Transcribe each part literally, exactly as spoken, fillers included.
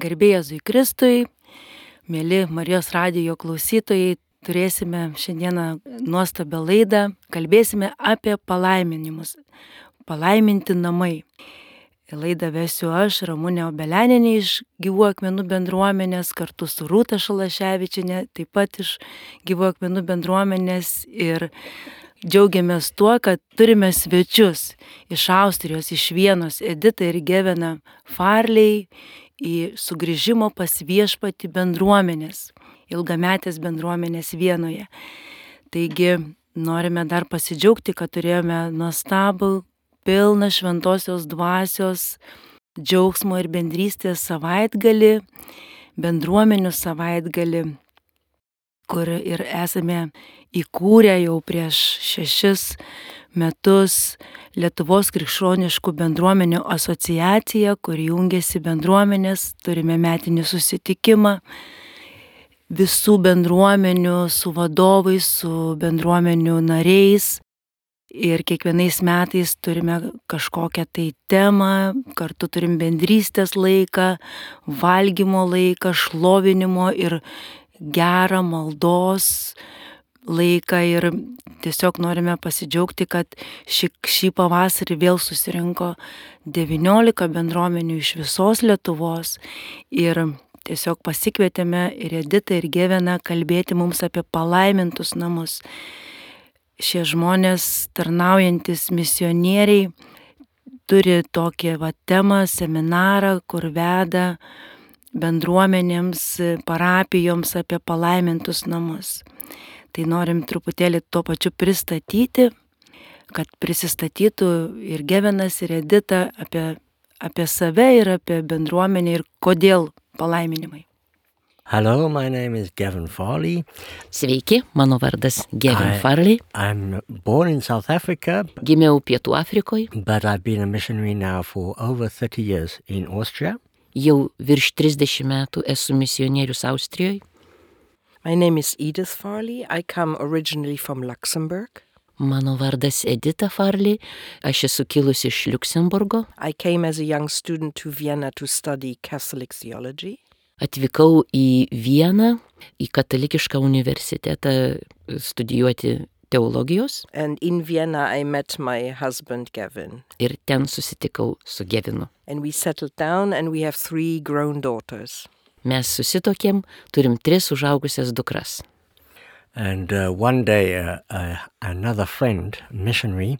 Garbė Jėzui Kristui, mėly Marijos radijo klausytojai, turėsime šiandieną nuostabią laidą, kalbėsime apie palaiminimus, palaiminti namai. Laidą vesiu aš, Ramunė Obelianinė iš Gyvų akmenų bendruomenės, kartu su Rūta Šalaševičienė, taip pat iš Gyvų akmenų bendruomenės, ir džiaugiamės tuo, kad turime svečius iš Austrijos, iš Vienos, Editą ir Geveną Farley, į sugrįžimo pas viešpatį bendruomenės, ilgametės bendruomenės Vienoje. Taigi norime dar pasidžiaugti, kad turėjome nuostabų, pilną šventosios dvasios, džiaugsmo ir bendrystės savaitgalį, bendruomenių savaitgalį, kur ir esame įkūrę jau prieš šešis metus Lietuvos krikščioniškų bendruomenių asociaciją, kur jungiasi bendruomenės, turime metinį susitikimą visų bendruomenių su vadovais, su bendruomenių nariais, ir kiekvienais metais turime kažkokią tai temą, kartu turim bendrystės laiką, valgymo laiką, šlovinimo ir gerą maldos laiką, ir tiesiog norime pasidžiaugti, kad šį, šį pavasarį vėl susirinko devyniolika bendruomenių iš visos Lietuvos, ir tiesiog pasikvietėme ir Editą ir Geveną kalbėti mums apie palaimintus namus. Šie žmonės, tarnaujantis misionieriai, turi tokią va, temą, seminarą, kur veda bendruomenėms, parapijoms apie palaimintus namus. Tai norim truputėlį tuo pačiu pristatyti, kad prisistatytų ir Gevenas, ir Edita apie, apie save ir apie bendruomenę ir kodėl palaiminimai. Hello, my name is Gavin Farley. Sveiki, mano vardas Gavin I, Farley. I'm born in South Africa, Gimiau Pietų Afrikoje. but I've been a missionary now for over thirty years in Austria. Jau virš trisdešimt metų esu misionierius Austrijoje. My name is Edith Farley. I come originally from Luxembourg. Mano vardas Edita Farley. Aš esu kilusi iš Liuksemburgo. I came as a young student to Vienna to study Catholic theology. Atvykau į Vieną, į katalikišką universitetą studijuoti teologijos, And in Vienna I met my husband Gavin. ir ten susitikau su Gevinu. And we settled down and we have three grown daughters. Mes susitokėm, turim tris užaugusias dukras. And uh, one day uh, uh, another friend, missionary,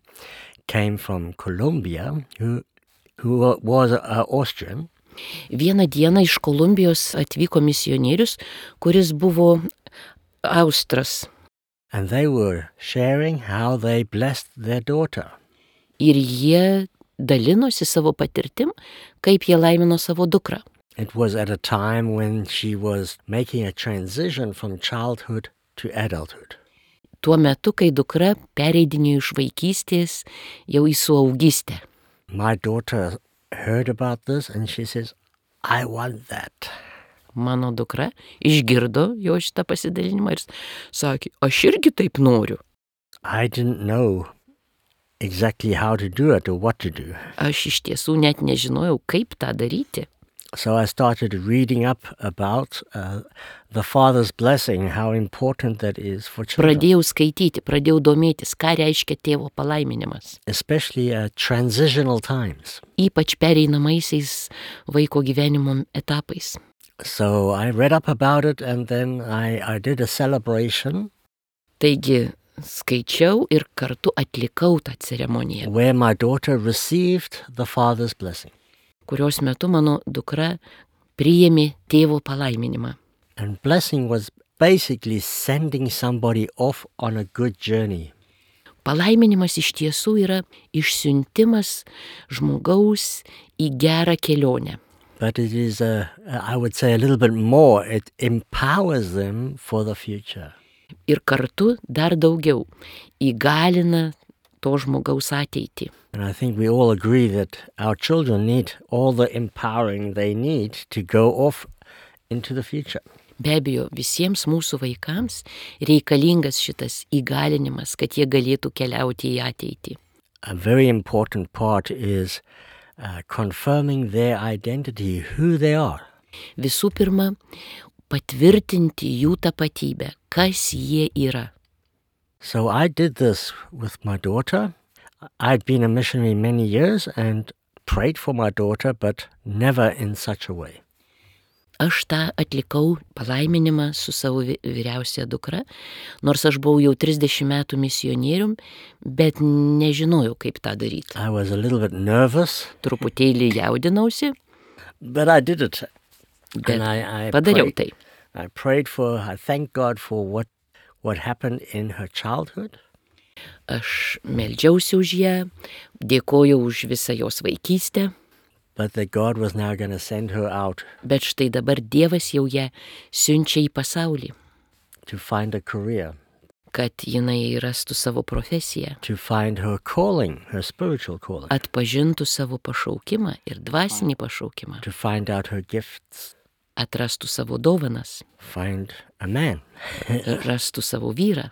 came from Colombia who, who was uh, Austrian. Vieną dieną iš Kolumbijos atvyko misionierius, kuris buvo Austras. And they were sharing how they blessed their daughter. Ir jie dalinosi savo patirtim, kaip jie laimino savo dukrą. It was at a time when she was making a transition from childhood to adulthood. Tuo metu, kai dukra pereidinėjo iš vaikystės jau į suaugystę. My daughter heard about this and she says, I want that. Mano dukra išgirdo jo šitą pasidalinimą ir sakė, aš irgi taip noriu. I didn't know exactly how to do it or what to do. Aš iš tiesų net nežinojau, kaip tą daryti. So I started reading up about uh, the Father's blessing, how important that is for children. Pradėjau skaityti, pradėjau domėtis, ką reiškia tėvo palaiminimas. Especially at transitional times. Ypač pereinamaisiais vaiko gyvenimo etapais. So I read up about it and then I, I did a celebration. Taigi skaičiau ir kartu atlikau tą ceremoniją, Where my daughter received the Father's blessing. kurios metu mano dukra priėmė tėvo palaiminimą. And blessing was basically sending somebody off on a good journey. Palaiminimas iš tiesų yra išsiuntimas žmogaus į gerą kelionę. But it is, a, I would say, a little bit more. It empowers them for the future. Ir kartu dar daugiau įgalina to žmogaus ateitį. And I think we all agree that our children need all the empowering they need to go off into the future. Be abejo, visiems mūsų vaikams reikalingas šitas įgalinimas, kad jie galėtų keliauti į ateitį. A very important part is uh, confirming their identity, who they are. Visų pirma, patvirtinti jų tapatybę, kas jie yra. So I did this with my daughter. I'd been a missionary many years and prayed for my daughter, but never in such a way. Aš tą atlikau palaiminimą su savo vyriausia dukra, nors aš buvau jau trisdešimt metų misionierium, bet nežinojau, kaip tą daryti. I was a little bit nervous, Truputėlį jaudinausi, but I did it. bet And I, I, padariau prayed, tai. I prayed for her. I thanked God for what, what happened in her childhood. Aš meldžiausi už ją, dėkojau už visą jos vaikystę, But that God was now going to send her out bet štai dabar Dievas jau ją siunčia į pasaulį, to find a career, kad jinai rastų savo profesiją, to find her calling, her spiritual calling, atpažintų savo pašaukimą ir dvasinį pašaukimą, to find out her gifts, atrastų savo dovanas, find a man. rastų savo vyrą.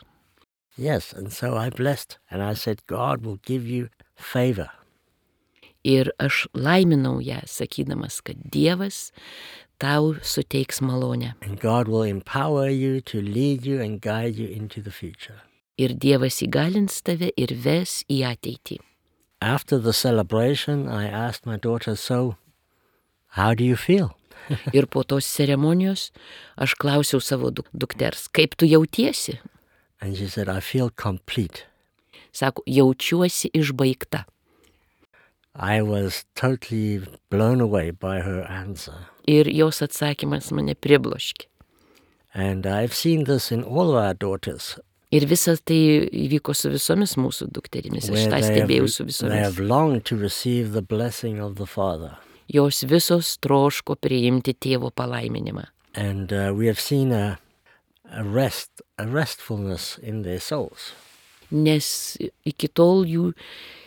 Yes, and so I blessed, and I said, God will give you favor. Ir aš laiminau ją, sakydamas, kad Dievas tau suteiks malonę. And God will empower you to lead you and guide you into the future. Ir Dievas įgalins tave ir ves į ateitį. After the celebration, I asked my daughter, so, how do you feel? Ir po tos ceremonijos aš klausiau savo duk- dukters, kaip tu jautiesi? And she said, I feel complete. Sako, jaučiuosi išbaigta. I was totally blown away by her answer. Ir jos atsakymas mane pribloškė. And I've seen this in all of our daughters, Ir visa tai įvyko su visomis mūsų dukterimis. Aš where tą they stebėjau su have, they visomis. have longed to receive the blessing of the Father. Jos visos troško priimti tėvo palaiminimą. And uh, we have seen a, a rest, a restfulness in their souls. Nes iki tol jų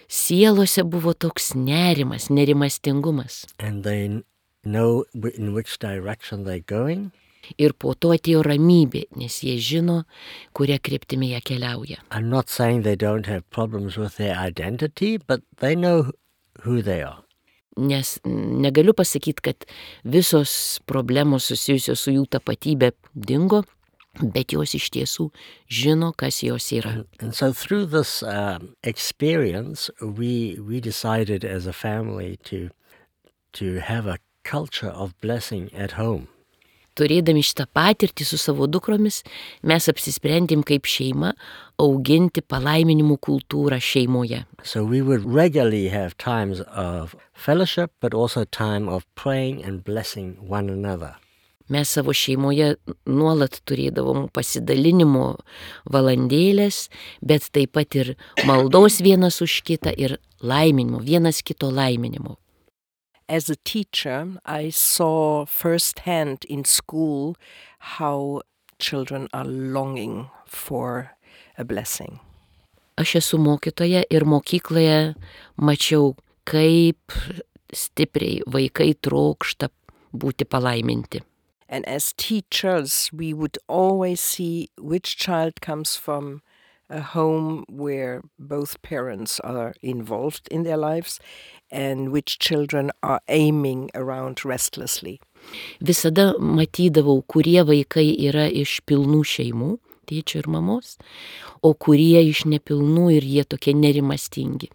sielose buvo toks nerimas, nerimastingumas. And they n- know wh- in which direction they're going. Ir po to atėjo ramybė, nes jie žino, kuria kryptimi jie keliauja. I'm not saying they don't have problems with their identity, but they know who they are. Nes negaliu pasakyti, kad visos problemos susijusios su jų tapatybė dingo, bet jos iš tiesų žino, kas jos yra. And so through this um, experience, we we decided as a family to to have a culture of blessing at home. Turėdami šitą patirtį su savo dukromis, mes apsisprendėm kaip šeima auginti palaiminimų kultūrą šeimoje. So we would regularly have times of fellowship, but also time of praying and blessing one another. Mes savo šeimoje nuolat turėdavom pasidalinimo valandėlės, bet taip pat ir maldos vienas už kitą ir laiminimo, vienas kito laiminimo. As a teacher, I saw firsthand in school how children are longing for a blessing. Aš esu mokytoja ir mokykloje mačiau, kaip stipriai vaikai trokšta būti palaiminti. And as teachers, we would always see which child comes from a home where both parents are involved in their lives and which children are aiming around restlessly. Visada matydavau, kurie vaikai yra iš pilnų šeimų, tėčio ir mamos, o kurie iš nepilnų ir jie tokie nerimastingi.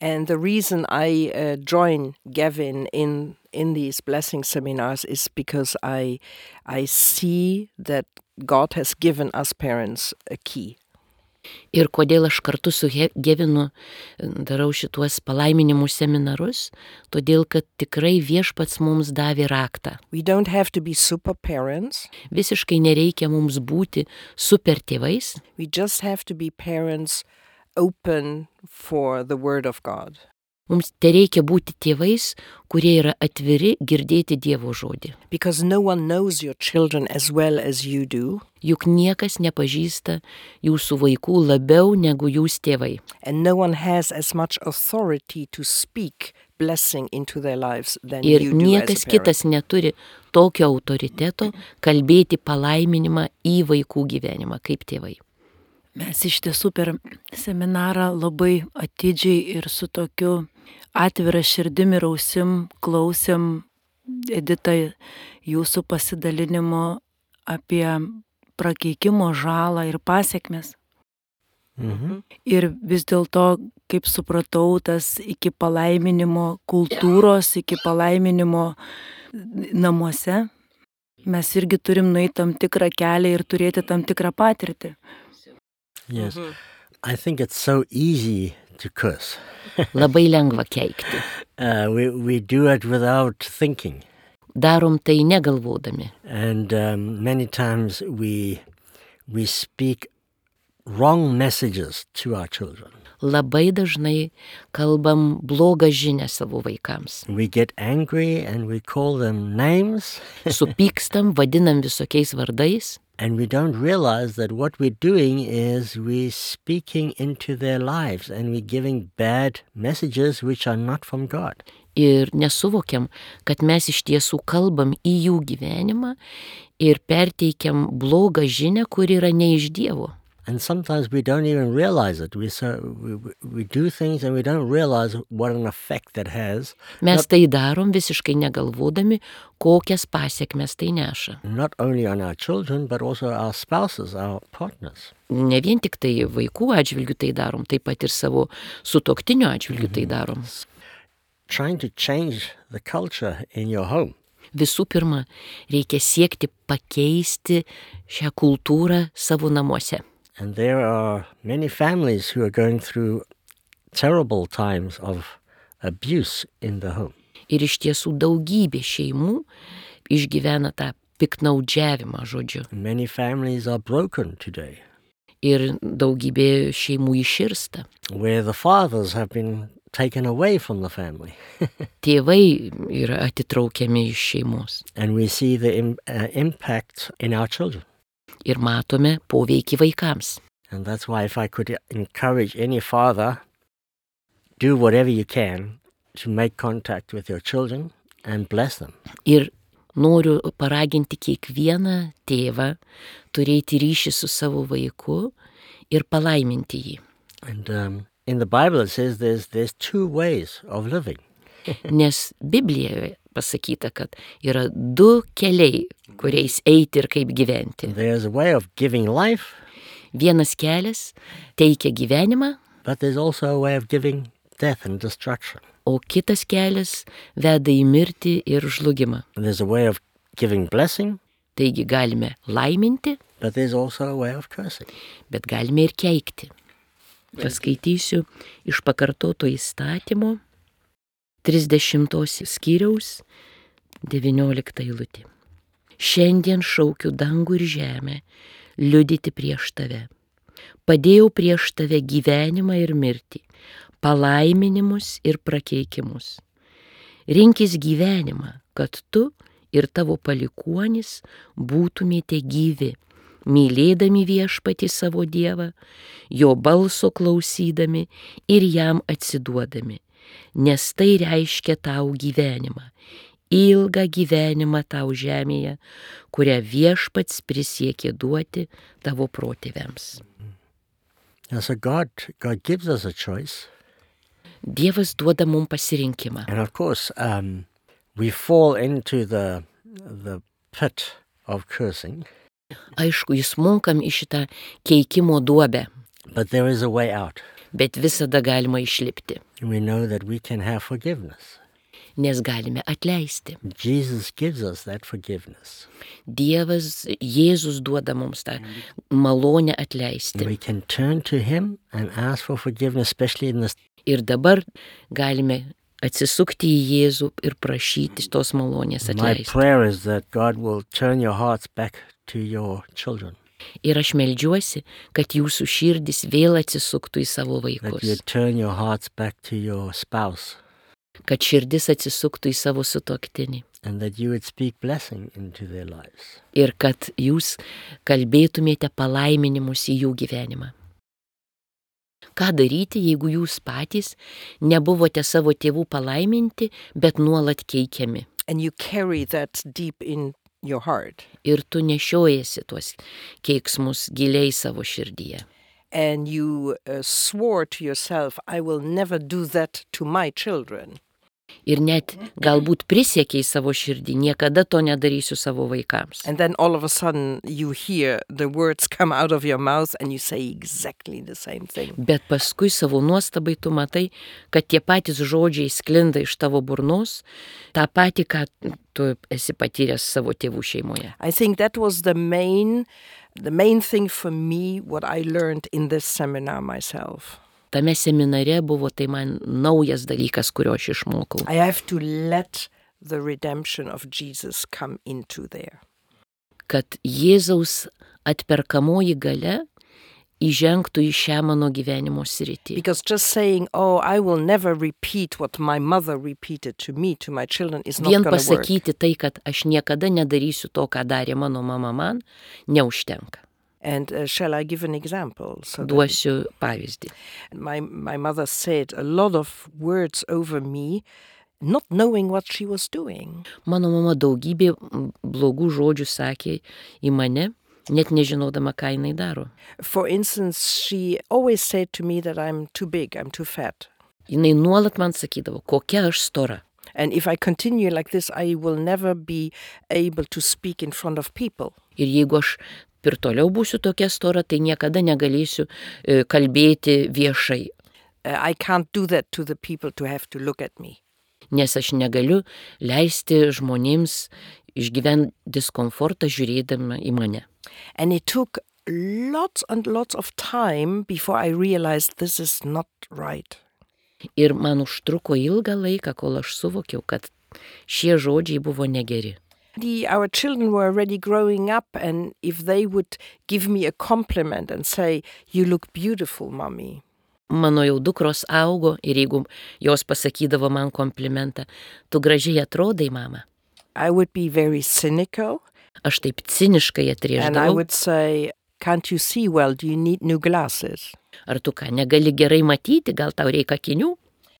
And the reason I uh, join Gavin in in these blessing seminars is because I I see that God has given us parents a key. Ir kodėl aš kartu su He- Gevinu darau šituos palaiminimų seminarus, todėl kad tikrai Viešpats mums davė raktą. We don't have to be super parents. Visiškai nereikia mums būti super tėvais, We just have to be parents open for the word of God. mums tereikia būti tėvais, kurie yra atviri girdėti Dievo žodį. Because no one knows your children as well as you do, Juk niekas nepažįsta jūsų vaikų labiau negu jūs tėvai. and no one has as much authority to speak blessing into their lives than Ir you do niekas as a parent. kitas neturi tokio autoriteto kalbėti palaiminimą į vaikų gyvenimą kaip tėvai. Mes iš tiesų per seminarą labai atidžiai ir su tokiu atvira širdim ir ausim klausėm Edita, jūsų pasidalinimo apie prakeikimo žalą ir pasiekmes. Mm-hmm. Ir vis dėlto, kaip supratau, tas iki palaiminimo kultūros, iki palaiminimo namuose, mes irgi turim nueiti tam tikrą kelią ir turėti tam tikrą patirtį. Yes. Mm-hmm. I think it's so easy to curse. Labai lengva keikti. Uh, we, we do it without thinking. Darom tai negalvodami. And um, many times we, we speak wrong messages to our children. Labai dažnai kalbam blogą žinią savo vaikams. We get angry and we call them names. Supykstam, vadinam visokiais vardais. And we don't realize that what we're doing is we're speaking into their lives and we're giving bad messages which are not from God. Ir nesuvokiam, kad mes iš tiesų kalbam į jų gyvenimą ir perteikiam blogą žinią, kuri yra ne iš Dievo. And sometimes we don't even realize it. We, so, we, we do things and we don't realize what an effect that has. Mes tai darom visiškai negalvodami, kokias pasiekmes tai neša. Not only on our children, but also our spouses, our partners. Ne vien tik tai vaikų atžvilgių tai darom, taip pat ir savo sutuoktinio atžvilgių tai darom. Trying to change the culture in your home. Visų pirma, reikia siekti pakeisti šią kultūrą savo namuose. And there are many families who are going through terrible times of abuse in the home. Ir iš tiesų daugybė šeimų išgyvena tą piknaudžiavimą, žodžiu. Many families are broken today. Ir daugybė šeimų iširsta. Where the fathers have been taken away from the family. Tėvai yra atitraukiami iš šeimos. And we see the im- uh, impact in our children. Ir matome poveikį vaikams. And that's why if I could encourage any father, do whatever you can to make contact with your children and bless them. Ir noriu paraginti kiekvieną tėvą turėti ryšį su savo vaiku ir palaiminti jį. And um, in the Bible it says there's, there's two ways of living. Nes Biblijoje pasakyta, kad yra du keliai, kuriais eiti ir kaip gyventi. There's a way of giving life. Vienas kelias teikia gyvenimą, But there's also a way of giving death and destruction. o kitas kelias veda į mirtį ir žlugimą. And there's a way of giving blessing, Taigi galime laiminti, but there's also a way of cursing. bet galime ir keikti. Paskaitysiu iš pakartoto įstatymo trisdešimtos skyriaus devynioliktą eilutę. Šiandien šaukiu dangų ir žemę liudyti prieš tave. Padėjau prieš tave gyvenimą ir mirtį, palaiminimus ir prakeikimus. Rinkis gyvenimą, kad tu ir tavo palikuonis būtumėte gyvi, mylėdami viešpatį savo Dievą, jo balso klausydami ir jam atsiduodami, nes tai reiškia tau gyvenimą, ilgą gyvenimą tau žemėje, kurią viešpats prisiekė duoti tavo protėviams. Now, so God, God gives us a choice. Dievas duoda mums pasirinkimą. And of course, um, we fall into the, the pit of cursing, Aišku, įsmunkam į šitą keikimo duobę, but there is a way out. bet visada galima išlipti, We know that we can have forgiveness. nes galime atleisti. Jesus gives us that forgiveness. Dievas, Jėzus duoda mums tą malonę atleisti. We can turn to Him and ask for forgiveness, especially in this. Ir dabar galime atsisukti į Jėzų ir prašyti tos malonės My atleisti. prayer is that God will turn your hearts back to your children, Ir aš meldžiuosi, kad jūsų širdis vėl atsisuktų į savo that you vaikus, turn your hearts back to your spouse, kad širdis atsisuktų į savo sutuoktinį and that you would speak blessing into their lives. ir kad jūs kalbėtumėte palaiminimus į jų gyvenimą. Ką daryti, jeigu jūs patys nebuvote savo tėvų palaiminti, bet nuolat keikiami? And you carry that deep in your heart. Ir tu nešiojasi tuos keiksmus giliai savo širdyje. And you uh, swore to yourself, I will never do that to my children. Ir net galbūt prisiekė į savo širdį, niekada to nedarysiu savo vaikams. And then all of a sudden you hear the words come out of your mouth and you say exactly the same thing. Bet paskui savo nuostabai tu matai, kad tie patys žodžiai sklinda iš tavo burnos, tą patį, ką tu esi patyręs savo tėvų šeimoje. I think that was the main, the main thing for me, what I learned in this seminar myself. Tame seminare buvo tai man naujas dalykas, kurio aš išmokau. I have to let the redemption of Jesus come into there. Kad Jėzaus atperkamoji galia įžengtų į šią mano gyvenimo sritį. Because just saying, oh, I will never repeat what my mother repeated to me, to my children, is not Vien going to work. pasakyti tai, kad aš niekada nedarysiu to, ką darė mano mama man, neužtenka. And uh, shall I give an example? So that Duosiu pavyzdį. my, my mother said a lot of words over me, not knowing what she was doing. Mano mama daugybė blogų žodžių sakė į mane, net nežinodama, ką jinai daro. For instance, she always said to me that I'm too big, I'm too fat. Jinai nuolat man sakydavo, kokia aš stora. And if I continue like this, I will never be able to speak in front of people. Ir jeigu aš ir toliau būsiu tokia stora, tai niekada negalėsiu e, kalbėti viešai, Uh, I can't do that to the people to have to look at me. nes aš negaliu leisti žmonėms išgyventi diskomfortą žiūrėdama į mane. And it took lots and lots of time before I realized this is not right. Ir man užtruko ilgą laiką, kol aš suvokiau, kad šie žodžiai buvo negeri. The, our children were already growing up, and if they would give me a compliment and say, you look beautiful, mommy, Mano jau dukros augo ir jeigu jos pasakydavo man komplimentą, tu gražiai atrodai, mama. I would be very cynical, Aš taip ciniškai and I atrėždavau. would say, can't you see well, do you need new glasses? Ar tu ką, negali gerai matyti, gal tau reikia akinių?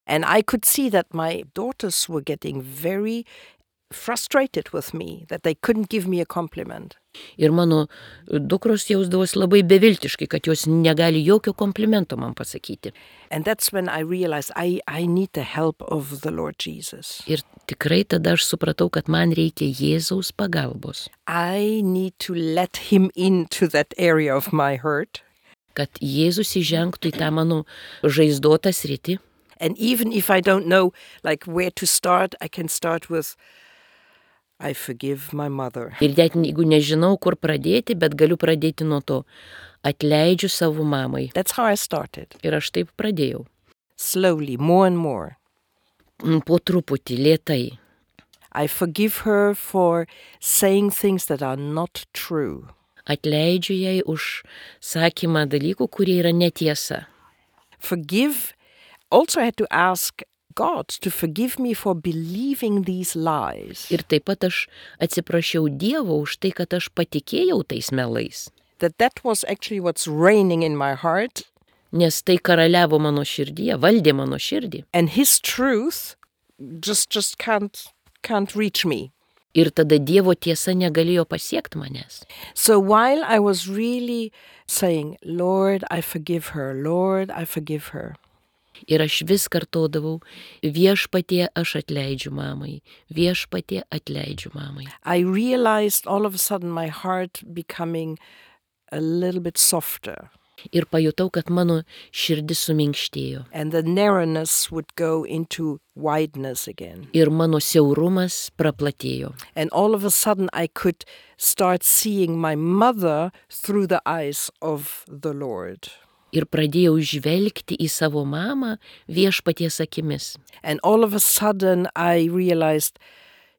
And I could see that my daughters were getting very frustrated with me, that they couldn't give me a compliment. Ir mano dukros jausdavosi labai beviltiškai, kad jos negali jokio komplimento man pasakyti. And that's when I realized I, I need the help of the Lord Jesus. Ir tikrai tada aš supratau, kad man reikia Jėzaus pagalbos. I need to let him into that area of my hurt. Kad Jėzus įžengtų į tą mano žaizdotą sritį. And even if I don't know like where to start, I can start with, I forgive my mother. Ir net jeigu nežinau, kur pradėti, bet galiu pradėti nuo to. Atleidžiu savo mamai. That's how I started. Ir aš taip pradėjau. Slowly, more and more. Po truputį, lėtai. I forgive her for saying things that are not true. Atleidžiu jai už sakymą dalykų, kurie yra netiesa. Forgive, also I had to ask God to forgive me for believing these lies. Ir taip pat aš atsiprašiau Dievo už tai, kad aš patikėjau tais melais. That that was actually what's reigning in my heart. Nes tai karaliavo mano širdyje, valdė mano širdį. And his truth just, just can't, can't reach me. Ir tada Dievo tiesa negalėjo pasiekti manęs. So while I was really saying, Lord, I forgive her, Lord, I forgive her. Ir aš vis kartodavau, viešpatie aš atleidžiu mamai, viešpatie atleidžiu mamai. I realized all of a sudden my heart becoming a little bit softer. Ir pajutau, kad mano širdis suminkštėjo. And the narrowness would go into wideness again. Ir mano siaurumas praplatėjo. And all of a sudden I could start seeing my mother through the eyes of the Lord. Ir pradėjau žvelgti į savo mamą viešpaties akimis. And all of a sudden I realized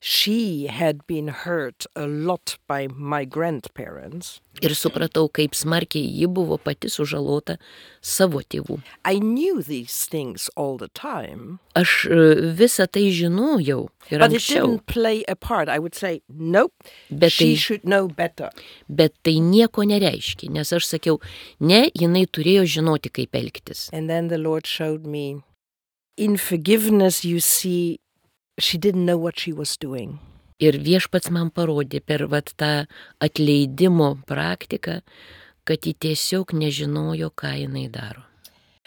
she had been hurt a lot by my grandparents. Ir supratau, kaip smarkiai ji buvo pati sužalota savo tėvų. I knew these things all the time, Aš e, visą tai žinojau ir but it anksčiau, didn't play a part. I would say, nope, Bet she tai- should know better. bet tai nieko nereiškia, nes aš sakiau, ne, jinai turėjo žinoti, kaip elgtis. And then the Lord showed me, in forgiveness, you see, she didn't know what she was doing. Ir viešpats man parodė per vat tą atleidimo praktiką, kad ji tiesiog nežinojo, ką jinai daro.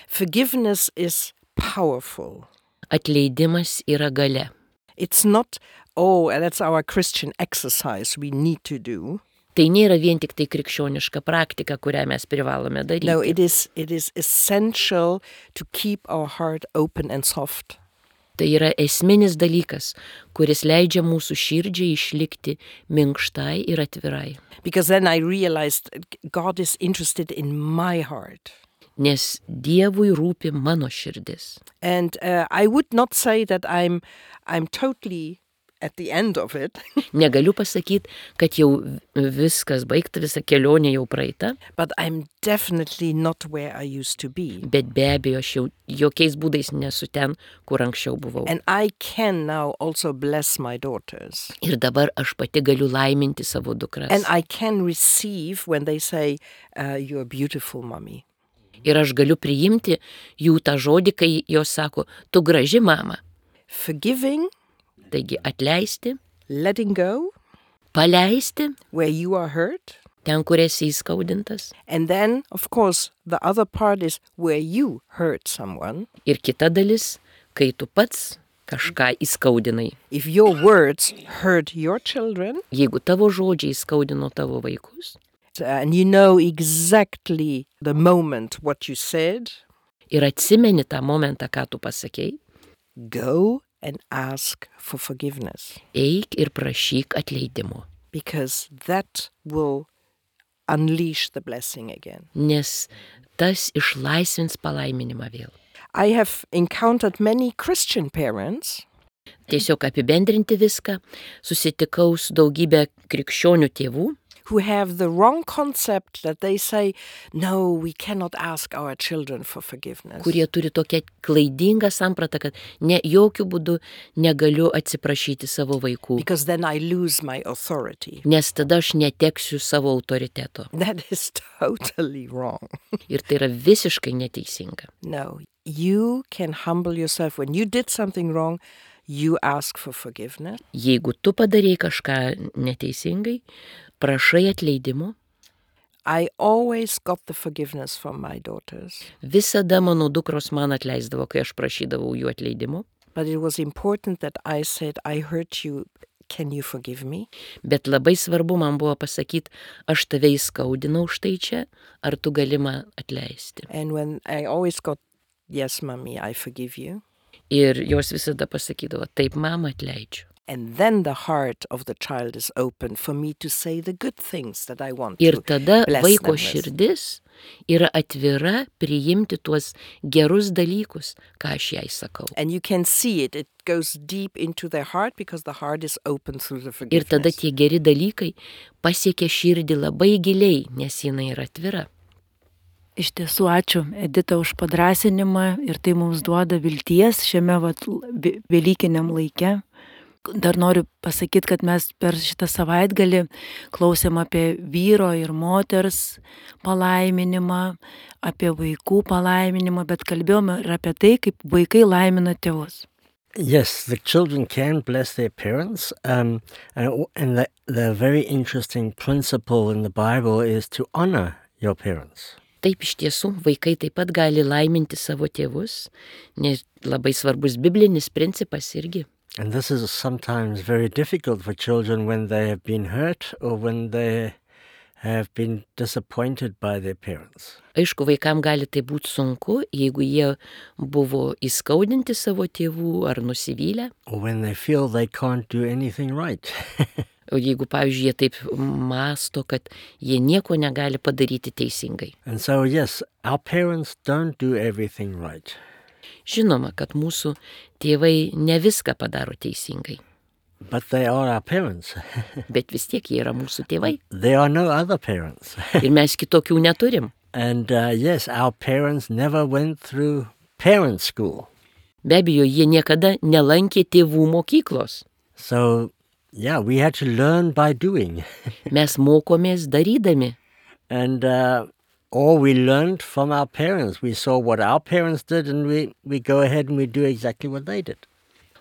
Forgiveness is powerful. Atleidimas yra galia. It's not, oh, that's our Christian exercise we need to do. Tai nėra vien tik tai krikščioniška praktika, kurią mes privalome daryti. No, it is, it is essential to keep our heart open and soft. Tai yra esminis dalykas, kuris leidžia mūsų širdžiai išlikti minkštai ir atvirai. Because then I realized God is interested in my heart. Nes Dievui rūpi mano širdis. And uh, I would not say that I'm, I'm totally at the end of it. Negaliu pasakyti, kad jau viskas baigta, visa kelionė jau praeita. But I'm definitely not where I used to be. Bet be abejo, aš jau jokiais būdais nesu ten, kur anksčiau buvau. And I can now also bless my daughters. Ir dabar aš pati galiu laiminti savo dukras. And I can receive when they say, uh, you're beautiful, mommy. Ir aš galiu priimti jų tą žodį, kai jos sako, tu graži mama. Forgiving. Taigi atleisti, letting go, paleisti, where you are hurt, ten, kur esi įskaudintas. And then, of course, the other part is where you hurt someone. Ir kita dalis, kai tu pats kažką įskaudinai. If your words hurt your children, jeigu tavo žodžiai įskaudino tavo vaikus, and you know exactly the moment what you said, ir atsimeni tą momentą, ką tu pasakei, go and ask for forgiveness. Eik ir prašyk atleidimo. Because that will unleash the blessing again. Nes tas išlaisvins palaiminimą vėl. I have encountered many Christian parents. Tiesiog apibendrinti viską, susitikau su daugybė krikščionių tėvų, who have the wrong concept that they say, no, we cannot ask our children for forgiveness. Kurie turi tokią klaidingą sampratą, kad ne, jokių būdų negaliu atsiprašyti savo vaikų. Because then I lose my authority. Nes tada aš neteksiu savo autoriteto. That is totally wrong. Ir tai yra visiškai neteisinga. No, you can humble yourself. When you did something wrong, you ask for forgiveness. Jeigu tu padarei kažką neteisingai, prašai atleidimo. I always got the forgiveness from my daughters. Visada mano dukros man atleisdavo, kai aš prašydavau jų atleidimo. But it was important that I said, I hurt you, can you forgive me? Bet labai svarbu man buvo pasakyti, aš tave įskaudinau štai čia, ar tu gali man atleisti. And when I always got, yes, mommy, I forgive you. Ir jos visada pasakydavo, taip, mama, atleidžiu. And then the heart of the child is open for me to say the good things that I want Ir to tada bless vaiko them with. širdis yra atvira priimti tuos gerus dalykus, ką aš jai sakau. And you can see it. It goes deep into their heart because the heart is open through the Ir tada forgiveness. tie geri dalykai pasiekia širdį labai giliai, nes jinai yra atvira. Iš tiesų, ačiū, Edita, už padrasinimą ir tai mums duoda vilties šiame vat, velykiniam laike. Dar noriu pasakyti, kad mes per šitą savaitgalį klausėm apie vyro ir moters palaiminimą, apie vaikų palaiminimą, bet kalbėjome ir apie tai, kaip vaikai laimina tėvus. Yes, the children can bless their parents, um, and, and the, the very interesting principle in the Bible is to honor your parents. Taip iš tiesų, vaikai taip pat gali laiminti savo tėvus, nes labai svarbus biblinis principas irgi. And this is sometimes very difficult for children when they have been hurt or when they have been disappointed by their parents. Aišku, vaikam gali tai būti sunku, jeigu jie buvo įskaudinti savo tėvų ar nusivylę. Or when they feel they can't do anything right. O jeigu, pavyzdžiui, jie taip masto, kad jie nieko negali padaryti teisingai. And so, yes, our parents don't do everything right. Žinoma, kad mūsų tėvai ne viską padaro teisingai. But they are our parents. Bet vis tiek jie yra mūsų tėvai. There are no other parents. Ir mes kitokių neturim. And uh, yes, our parents never went through parent school. Be abejo, jie niekada nelankė tėvų mokyklos. So, yeah, we had to learn by doing. Mes mokomės darydami. And uh, or we learned from our parents. We saw what our parents did and we, we go ahead and we do exactly what they did.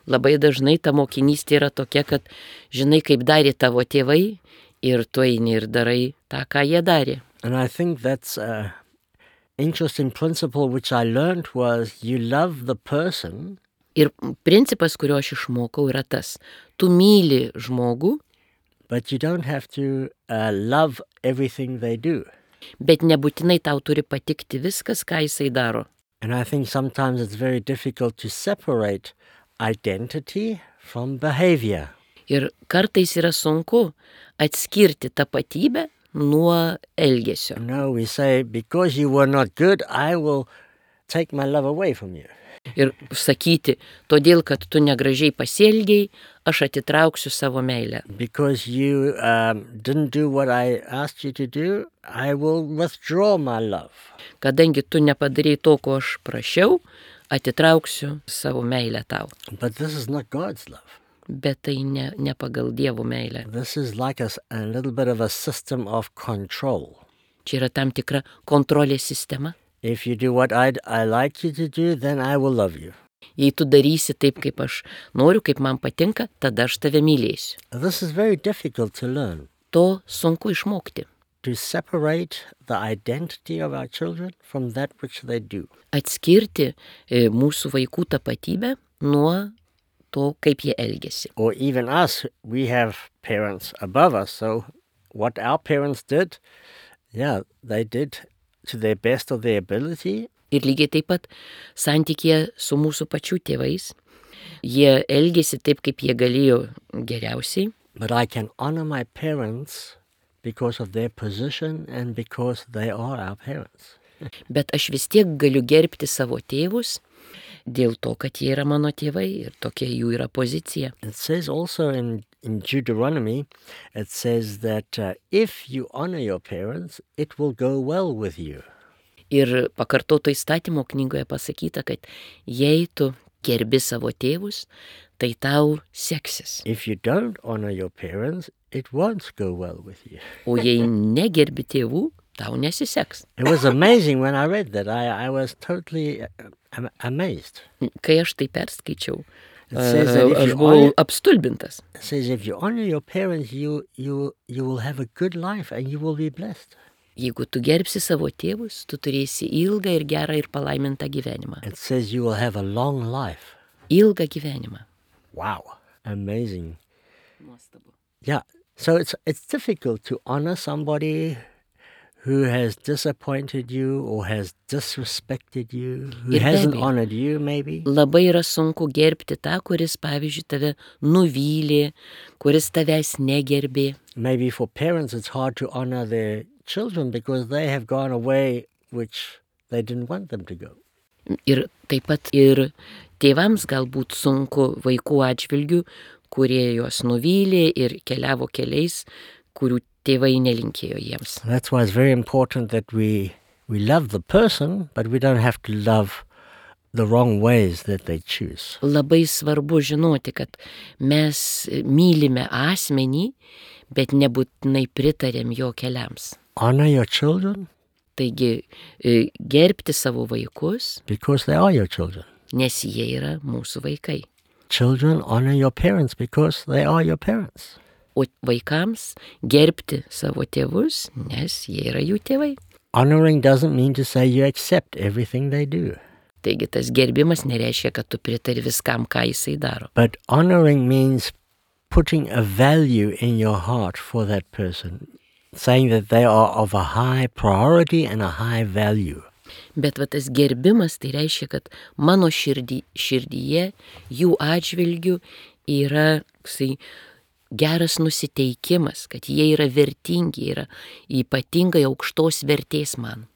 Labai dažnai ta mokinystė yra tokia, kad žinai, kaip darė tavo tėvai ir tu eini ir darai tą, ką jie darė. And I think that's an interesting principle which I learned was you love the person Ir principas, kurio aš išmokau, yra tas. Tu myli žmogų, but you don't have to uh, love everything they do. bet nebūtinai tau turi patikti viskas, ką jisai daro. And I think sometimes it's very difficult to separate identity from behavior. Ir kartais yra sunku atskirti tapatybę nuo elgesio. No, we say, because you were not good, I will take my love away from you. Ir sakyti, todėl, kad tu negražiai pasielgiai, aš atitrauksiu savo meilę. Because you um, didn't do what I asked you to do, I will withdraw my love. Kadangi tu nepadarei to, ko aš prašiau, atitrauksiu savo meilę tau. But this is not God's love. Bet tai ne, ne pagal Dievo meilę. This is like a, a little bit of a system of control. Čia yra tam tikra kontrolės sistema. If you do what I'd, I like you to do, then I will love you. Jei tu darysi taip, kaip aš noriu, kaip man patinka, tada aš tave mylėsiu. This is very difficult to learn. To sunku išmokti. To separate the identity of our children from that which they do. Atskirti e, mūsų vaikų tapatybę nuo to, kaip jie elgesi. Or even us, we have parents above us, so what our parents did, yeah, they did to their best of their ability. Ir lygiai taip pat santykėje su mūsų pačių tėvais. Jie elgėsi taip, kaip jie galėjo geriausiai. But I can honor my parents because of their position and because they are our parents. Bet aš vis tiek galiu gerbti savo tėvus dėl to, kad jie yra mano tėvai ir tokia jų yra pozicija. It says also in, in Deuteronomy, it says that uh, if you honor your parents, it will go well with you. Ir pakartoto įstatymo knygoje pasakyta, kad jei tu gerbi savo tėvus, tai tau seksis. If you don't honor your parents, it won't go well with you. O jei negerbi tėvų, tau nesiseks. It was amazing when I read that. I, I was totally uh, amazed. Kai aš tai perskaičiau, It says that if aš you buvau honor, apstulbintas. it says if you honor your parents, you, you, you will have a good life and you will be blessed. Jeigu tu gerbsi savo tėvus, tu turėsi ilgą ir gerą ir palaimintą gyvenimą. It says you will have a long life. Ilgą gyvenimą. Wow. Amazing. Nuostabu. Yeah. So it's it's difficult to honor somebody who has disappointed you or has disrespected you, who Ir be hasn't abejo. honored you maybe. Labai yra sunku gerbti tą, kuris, pavyzdžiui, tave nuvylė, kuris tavęs negerbė. Maybe for parents it's hard to honor their children because they have gone away which they didn't want them to go. Ir taip pat ir tėvams galbūt sunku vaikų atžvilgių, kurie juos nuvylė ir keliavo keliais, kurių tėvai nelinkėjo jiems. That's why it's very important that we we love the person, but we don't have to love the wrong ways that they choose. Labai svarbu žinoti, kad mes mylime asmenį, bet nebūtinai pritarėm jo keliams. Honor your children Taigi e, gerbti savo vaikus, because they are your children. nes jie yra mūsų vaikai. Children, honor your parents because they are your parents. O vaikams gerbti savo tėvus, nes jie yra jų tėvai. Honoring doesn't mean to say you accept everything they do. Taigi tas gerbimas nereiškia, kad tu pritari viskam, ką jisai daro. But honoring means putting a value in your heart for that person, saying that they are of a high priority and a high value. Bet va tas gerbimas tai reiškia, kad mano širdį, širdyje jų atžvilgių yra ksai, geras nusiteikimas, kad jie yra vertingi, yra ypatingai aukštos vertės man.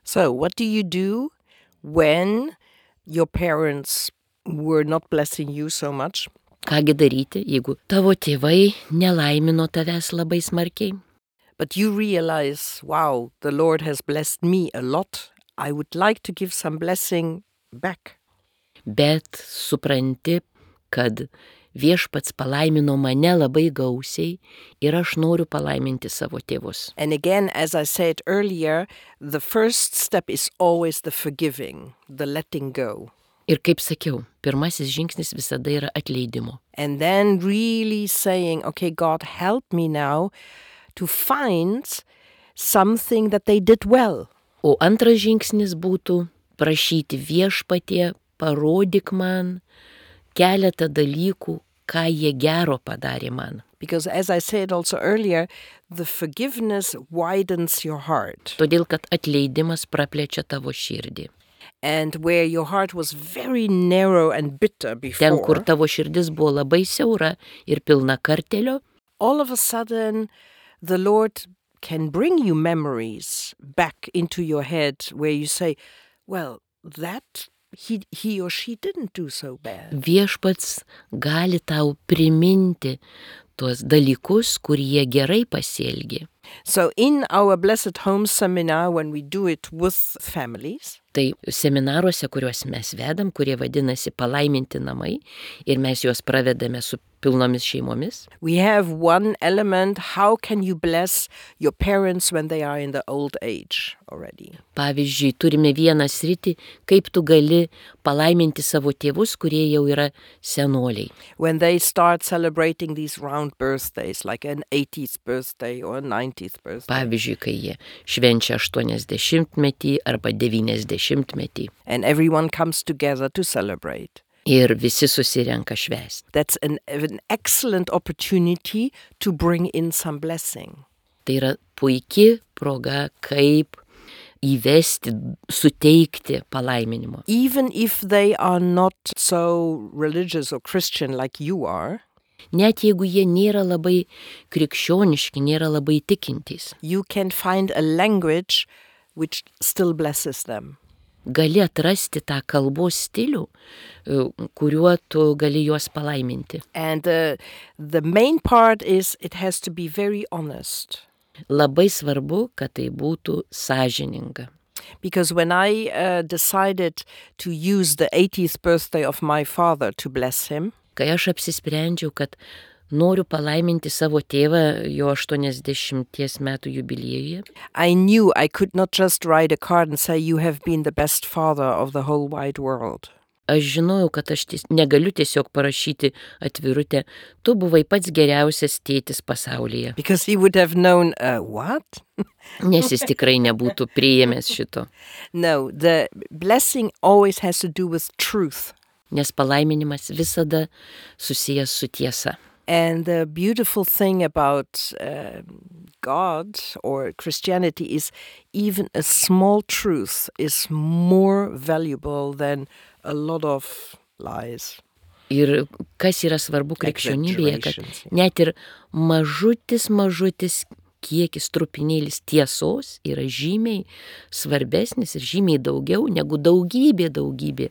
So, what do you do when your parents were not blessing you so much? Kągi daryti, jeigu tavo tėvai nelaimino tavęs labai smarkiai? But you realize, wow, the Lord has blessed me a lot. I would like to give some blessing back. Bet supranti, kad viešpats palaimino mane labai gausiai ir aš noriu palaiminti savo tėvus. And again, as I said earlier, the first step is always the forgiving, the letting go. Ir kaip sakiau, pirmasis žingsnis visada yra atleidimo. And then really saying, okay, God, help me now to find something that they did well. O antras žingsnis būtų prašyti viešpatie, parodyk man keletą dalykų, ką jie gero padarė man. Because as I said also earlier, the forgiveness widens your heart. Todėl, kad atleidimas praplečia tavo širdį. And where your heart was very narrow and bitter Ten, kur before, tavo širdis buvo labai siaura ir pilna kartelio, all of a sudden the Lord can bring you memories back into your head where you say, well, that he, he or she didn't do so bad. viešpats gali tau priminti tuos dalykus, kurie gerai pasielgė. So in our Blessed Home seminar, when we do it with families, Tai seminaruose, kuriuos mes vedam, kurie vadinasi palaiminti namai, ir mes juos pravedame su pilnomis šeimomis, we have one element, how can you bless your parents when they are in the old age already? pavyzdžiui, turime vieną sritį, kaip tu gali palaiminti savo tėvus, kurie jau yra senoliai. When they start celebrating these round birthdays, like an eightieth birthday or a ninetieth birthday. Pavyzdžiui, kai jie švenčia aštuoniasdešimtmetį arba devyniasdešimtmetį And everyone comes together to celebrate. ir visi susirenka švęsti. That's an, an excellent opportunity to bring in some blessing. Tai yra puikia proga, kaip įvesti, suteikti palaiminimo. Even if they are not so religious or Christian like you are, Net jeigu jie nėra labai krikščioniški, nėra labai tikintys, you can find a language which still blesses them. gali atrasti tą kalbos stilių, e, kuriuo tu gali juos palaiminti. And uh, the main part is it has to be very honest. Labai svarbu, kad tai būtų sąžininga. Because when I uh, decided to use the eightieth birthday of my father to bless him, Kai aš apsisprendžiau, kad noriu palaiminti savo tėvą jo aštuoniasdešimties metų jubiliejuje, I knew I could not just write a card and say, you have been the best father of the whole wide world. aš žinojau, kad aš ties, negaliu tiesiog parašyti atvirutę, tu buvai pats geriausias tėtis pasaulyje, Because he would have known, uh, what? nes jis tikrai nebūtų priėmęs šito. No, the blessing always has to do with truth. Nes palaiminimas visada susijęs su tiesa. And the beautiful thing about uh, God or Christianity is even a small truth is more valuable than a lot of lies. Ir kas yra svarbu krikščionybėje, kad Exaggerations, yeah. net ir mažutis, mažutis kiekis trupinėlis tiesos yra žymiai svarbesnis ir žymiai daugiau negu daugybė, daugybė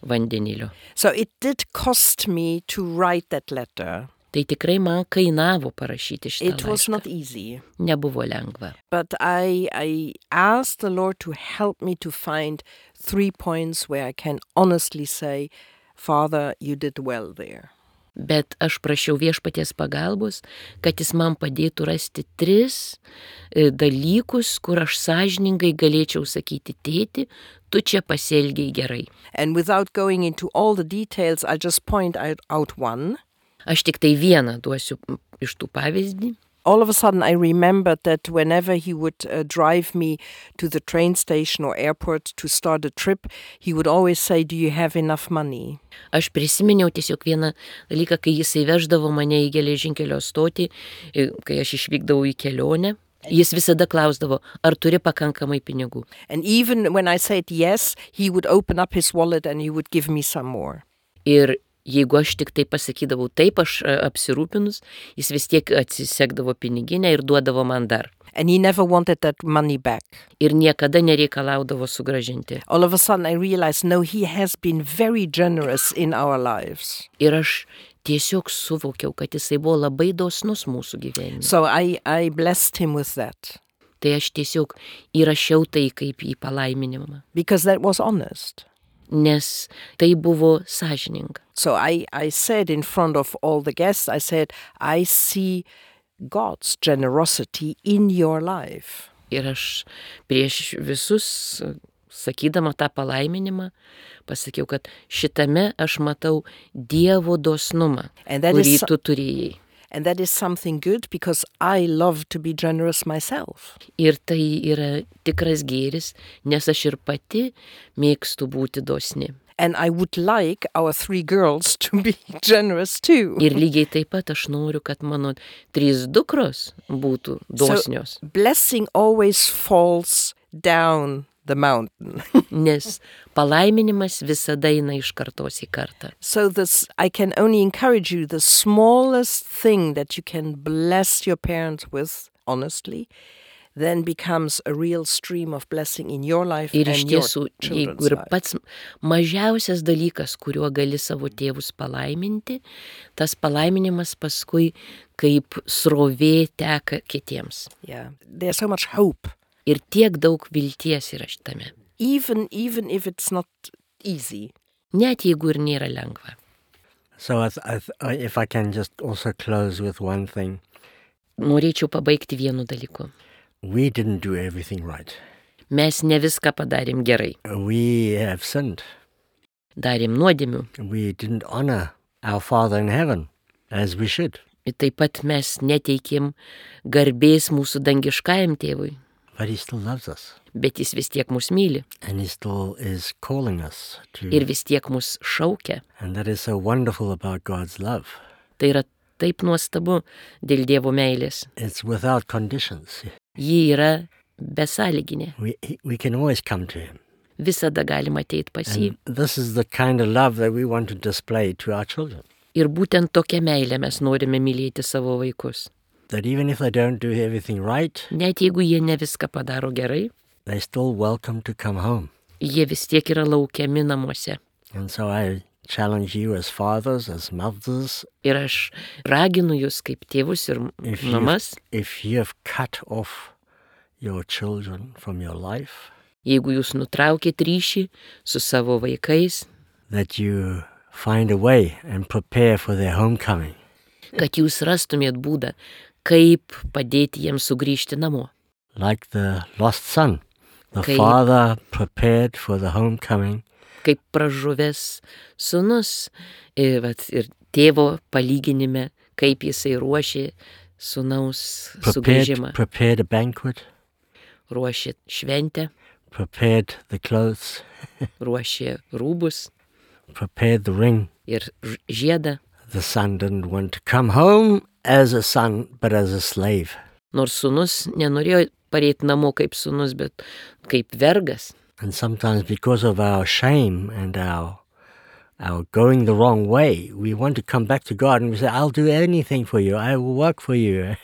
vandenilio. So it did cost me to write that letter. Tai tikrai man kainavo parašyti It šitą was laišką. not easy. Nebuvo lengva. But I, I asked the Lord to help me to find three points where I can honestly say, Father, you did well there. Bet aš prašiau viešpaties pagalbos, kad jis man padėtų rasti tris e, dalykus, kur aš sąžiningai galėčiau sakyti, tėti, tu čia pasielgiai gerai. And without going into all the details, I'll just point out, out one. Aš tik tai vieną duosiu iš tų pavyzdį. All of a sudden, I remembered that whenever he would uh, drive me to the train station or airport to start a trip, he would always say, do you have enough money? Aš prisiminiau tiesiog vieną dalyką, kai jisai veždavo mane į geležinkelio stotį, e, kai aš išvykdavau į kelionę. Jis visada klausdavo, ar turi pakankamai pinigų. And even when I said yes, he would open up his wallet and he would give me some more. Ir jeigu aš tik tai pasakydavau taip, aš e, apsirūpinus, jis vis tiek atsisekdavo piniginę ir duodavo man dar. And he never wanted that money back. Ir niekada nereikalaudavo sugražinti. All of a sudden, I realized, no, he has been very generous in our lives. Ir aš tiesiog suvokiau, kad jisai buvo labai dosnus mūsų gyvenime. So I, I blessed him with that Tai aš tiesiog įrašiau tai kaip į palaiminimą, because that was honest. nes tai buvo sąžininga. So I, I said in front of all the guests, I said, I see God's generosity in your life. Ir aš prieš visus, sakydama tą palaiminimą, pasakiau, kad šitame aš matau Dievo dosnumą, And that kurį is, tu turėjai. and that is something good because I love to be generous myself. Ir tai yra tikras gėris, nes aš ir pati mėgstu būti dosni. And I would like our three girls to be generous too. Ir lygiai taip pat aš noriu, kad mano trys dukros būtų dosnios. So blessing always falls down the mountain. Nes palaiminimas visada eina iš kartos į kartą. So this, I can only encourage you, the smallest thing that you can bless your parents with, honestly, then becomes a real stream of blessing in your life Ir iš and your tiesų, jeigu children's ir life. pats mažiausias dalykas, kuriuo gali savo tėvus palaiminti, tas palaiminimas paskui kaip srovė teka kitiems. Yeah, there's so much hope. Ir tiek daug vilties yra šitame. Even, even if it's not easy. Net jeigu ir nėra lengva. So I th- I th- I- if I can just also close with one thing. Norėčiau pabaigti vienu dalyku. We didn't do everything right. Mes ne viską padarėm gerai. We have sinned. Darėm nuodėmių. We didn't honor our Father in heaven as we should. Ir taip pat mes neteikėm garbės mūsų dangiškajam tėvui. But he still loves us. Bet jis vis tiek mus myli. And he still is calling us to. Ir vis tiek mus šaukia. And that is so wonderful about God's love. Tai yra taip nuostabu dėl Dievo meilės. It's without conditions. Ji yra besąlyginė. We, he- we can always come to him. Visada galima ateiti pas jį. And this is the kind of love that we want to display to our children. Ir būtent tokią meilę mes norime mylėti savo vaikus. That even if they don't do everything right, Net jeigu jie ne viską padaro gerai, they're still welcome to come home. jie vis tiek yra laukiami namuose. And so I challenge you as fathers, as mothers, Ir aš raginu jūs kaip tėvus ir if you mamas, if you have cut off your children from your life, jeigu jūs nutraukėt ryšį su savo vaikais, that you find a way and prepare for their homecoming. kad jūs rastumėt būdą, kaip padėti jiems sugrįžti namo. Like the lost son, the Okay. father prepared for the homecoming, Kaip pražuvęs sūnus ir, vat, ir tėvo palyginime, kaip jisai ruošė sūnaus prepared, sugrįžimą. prepared a banquet, Ruošė šventę, prepared the clothes, ruošė rūbus prepared the ring. ir ž- žiedą. The son didn't want to come home as a son, but as a slave. Nors sūnus nenorėjo pareiti namo kaip sūnus, bet kaip vergas. And sometimes because of our shame and our our going the wrong way, we want to come back to God and we say, I'll do anything for you. I will work for you.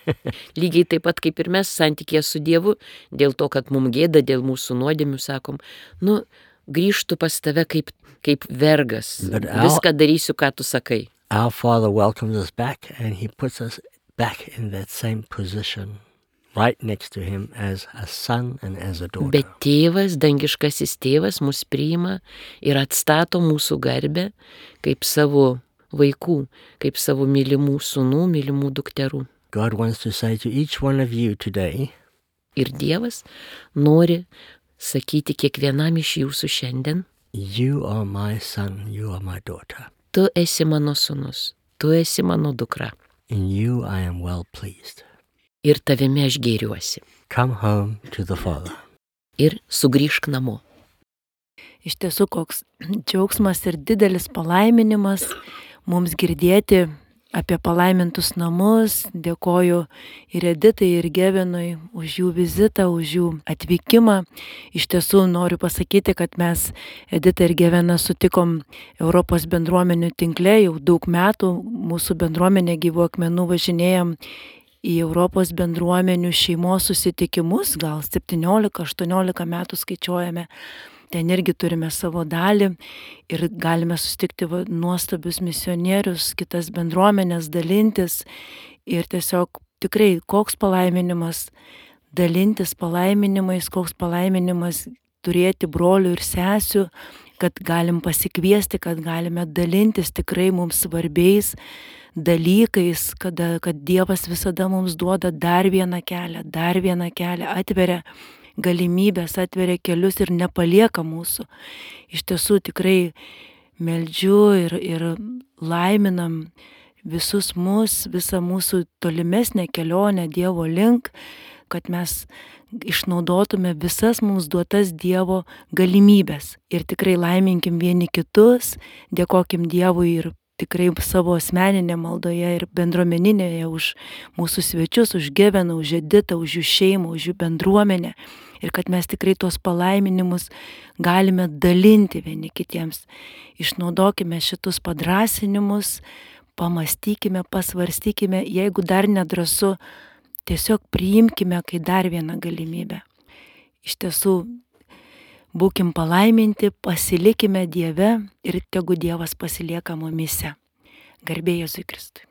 Lygiai taip pat kaip ir mes santykėje su Dievu, dėl to, kad mums gėda, dėl mūsų nuodėmių, sakom, nu, grįžtu pas tave kaip, kaip vergas. Bet au- Viską darysiu, ką tu sakai. Our Father welcomes us back and he puts us back in that same position, right next to him as a son and as a daughter. Bet tėvas, dangiškasis tėvas, mus priima ir atstato mūsų garbę kaip savo vaikų, kaip savo mylimų sūnų, mylimų dukterų. God wants to say to each one of you today, Ir Dievas nori sakyti kiekvienam iš jūsų šiandien, you are my son, you are my daughter. tu esi mano sūnus, tu esi mano dukra In you I am well pleased. ir tavimi aš gėriuosi. Come home to the Father. Ir sugrįžk namo. Iš tiesų, koks džiaugsmas ir didelis palaiminimas mums girdėti apie palaimintus namus. Dėkoju ir Editai, ir Gevinui už jų vizitą, už jų atvykimą. Iš tiesų noriu pasakyti, kad mes Editą ir Geviną sutikom Europos bendruomenių tinkle jau daug metų. Mūsų bendruomenė Gyvų akmenų važinėjom į Europos bendruomenių šeimos susitikimus, gal septyniolika aštuoniolika metų skaičiuojame. Ten irgi turime savo dalį ir galime susitikti va, nuostabius misionierius, kitas bendruomenės, dalintis. Ir tiesiog tikrai koks palaiminimas dalintis palaiminimais, koks palaiminimas turėti brolių ir sesių, kad galim pasikviesti, kad galime dalintis tikrai mums svarbiais dalykais, kada, kad Dievas visada mums duoda dar vieną kelią, dar vieną kelią, atveria galimybės, atveria kelius ir nepalieka mūsų. Iš tiesų tikrai meldžiu ir, ir laiminam visus mus, visą mūsų tolimesnę kelionę Dievo link, kad mes išnaudotume visas mums duotas Dievo galimybės. Ir tikrai laiminkim vieni kitus, dėkokim Dievui ir tikrai savo asmeninė maldoje ir bendruomeninėje už mūsų svečius, už Geveną, už Editą, už jų šeimą, už jų bendruomenę. Ir kad mes tikrai tuos palaiminimus galime dalinti vieni kitiems. Išnaudokime šitus padrasinimus, pamastykime, pasvarstykime, jeigu dar nedrąsu, tiesiog priimkime, kai dar vieną galimybę. Iš tiesų, būkim palaiminti, pasilikime Dieve ir tegu Dievas pasilieka mumyse. Garbė Jėzui Kristui.